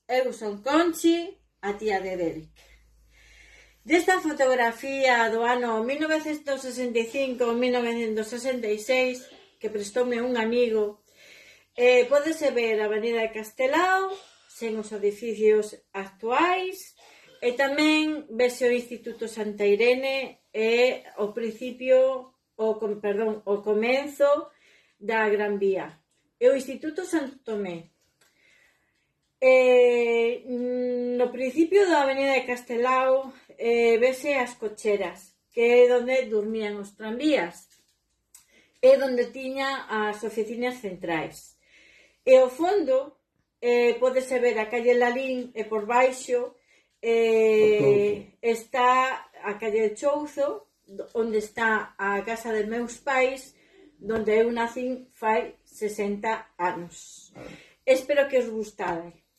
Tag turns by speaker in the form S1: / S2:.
S1: eu son Conchi, a tía de Derek. Desta fotografía do ano 1965-1966 que prestoume un amigo, pódese ver a Avenida de Castelao sen os edificios actuais e tamén vese o Instituto Santa Irene e o comenzo da Gran Vía e o Instituto Santo Tomé. No principio da Avenida de Castelao vese as cocheras, que é onde dormían os tranvías, é onde tiña as oficinas centrais. E ao fondo pódese ver a calle Lalín e por baixo está a calle de Chouzo, onde está a casa de meus pais, onde eu nacín fai 60 anos. Espero que os gustade.